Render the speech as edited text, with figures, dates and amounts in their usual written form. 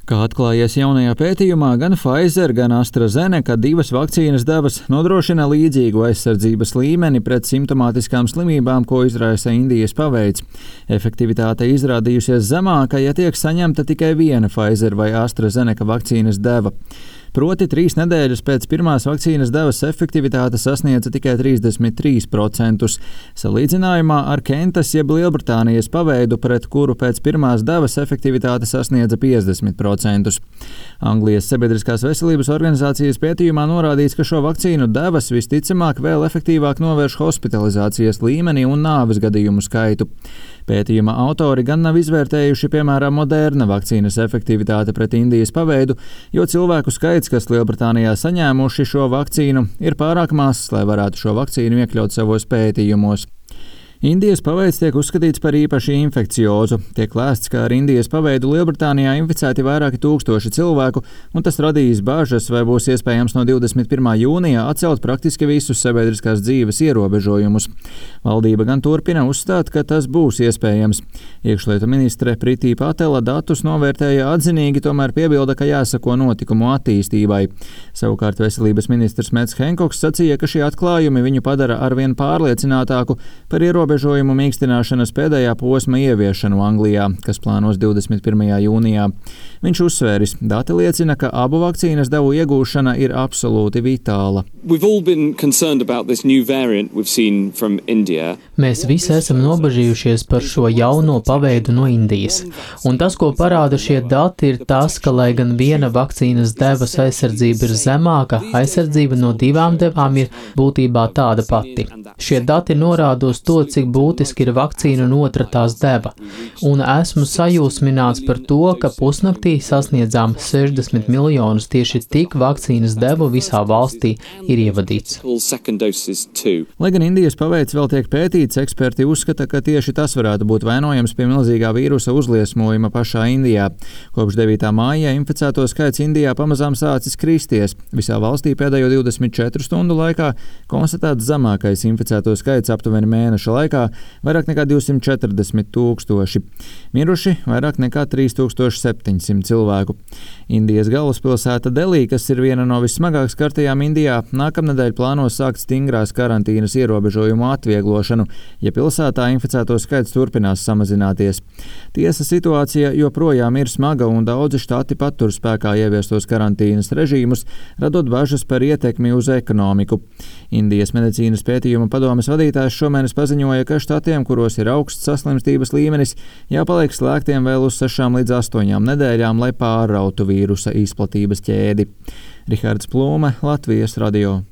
Kā atklājies jaunajā pētījumā, gan Pfizer, gan AstraZeneca divas vakcīnas devas nodrošina līdzīgu aizsardzības līmeni pret simptomātiskām slimībām, ko izraisa Indijas paveids. Efektivitāte izrādījusies zemāka, ja tiek saņemta tikai viena Pfizer vai AstraZeneca vakcīnas deva. Proti 3 nedēļas pēc pirmās vakcīnas devas efektivitāte sasniedza tikai 33%, salīdzinājumā ar Kentas jeb Lielbritānijas paveidu, pret kuru pēc pirmās devas efektivitāte sasniedza 50%. Anglijas sabiedriskās veselības organizācijas pētījumā norādīts, ka šo vakcīnu devas visticamāk vēl efektīvāk novērš hospitalizācijas līmeni un nāves gadījumu skaitu. Pētījuma autori gan nav izvērtējuši, piemēram, Moderna vakcīnas efektivitāti pret Indijas paveidu, jo cilvēku skaits, kas Lielbritānijā saņēmuši šo vakcīnu, ir pārāk mazs, lai varētu šo vakcīnu iekļaut savos pētījumos. Indijas paveids tiek uzskatīts par īpaši infekciozu. Tiek lēsts, ka ar Indijas paveidu Lielbritānijā inficēti vairāki tūkstoši cilvēku, un tas radīs bažas, vai būs iespējams no 21. jūnija atcelt praktiski visus sabiedriskās dzīves ierobežojumus. Valdība gan turpina uzstāt, ka tas būs iespējams. Iekšlietu ministre Pritī Patela datus novērtēja atzinīgi, tomēr piebilda, ka jāsako notikumu attīstībai. Savukārt veselības ministrs Mets Henkoks sacīja, ka šie atklājumi viņu padara arvien pārliecinātāku par ierobežojumu mīkstināšanas pēdējā posma ieviešanu Anglijā, kas plānos 21. jūnijā. Viņš uzsvēris, dati liecina, ka abu vakcīnas devu iegūšana ir absolūti vitāla. Mēs visi esam nobažījušies par šo jauno paveidu no Indijas. Un tas, ko parāda šie dati, ir tas, ka, lai gan viena vakcīnas devas aizsardzība ir zemāka, aizsardzība no divām devām ir būtībā tāda pati. Šie dati norāda uz to, cik būtiski ir vakcīna un otra tās deva. Un esmu sajūsmināts par to, ka pusnaktī sasniedzām 60 miljonus tieši tik vakcīnas devu visā valstī ir ievadīts. Lai gan Indijas paveids vēl tiek pētīts, eksperti uzskata, ka tieši tas varētu būt vainojams pie milzīgā vīrusa uzliesmojuma pašā Indijā. Kopš 9. māja inficēto skaits Indijā pamazām sācis kristies. Visā valstī pēdējo 24 stundu laikā konstatēts zemākais inficēto skaits aptuveni mēneša laikā - vairāk nekā 240 tūkstoši. Miruši vairāk nekā 3700 cilvēku. Indijas galvaspilsēta Delī, kas ir viena no vissmagāk skartajām Indijā, nākamnedēļ plāno sākt stingrās karantīnas ierobežojumu atvieglošanu, ja pilsētā inficēto skaits turpinās samazināties. Tiesa, situācija joprojām ir smaga un daudzi štati patur spēkā ieviestos karantīnas režīmus, radot bažas par ietekmi uz ekonomiku. Indijas medicīnas pētījuma padomes vadītājs šomēnes paziņoja, ka štatiem, kuros ir augsts saslimstības līmenis, jāpaliek slēgtiem vēl uz 6 līdz 8 nedēļām, lai pārrautu vīrusa izplatības ķēdi. Rihards Plūme, Latvijas radio.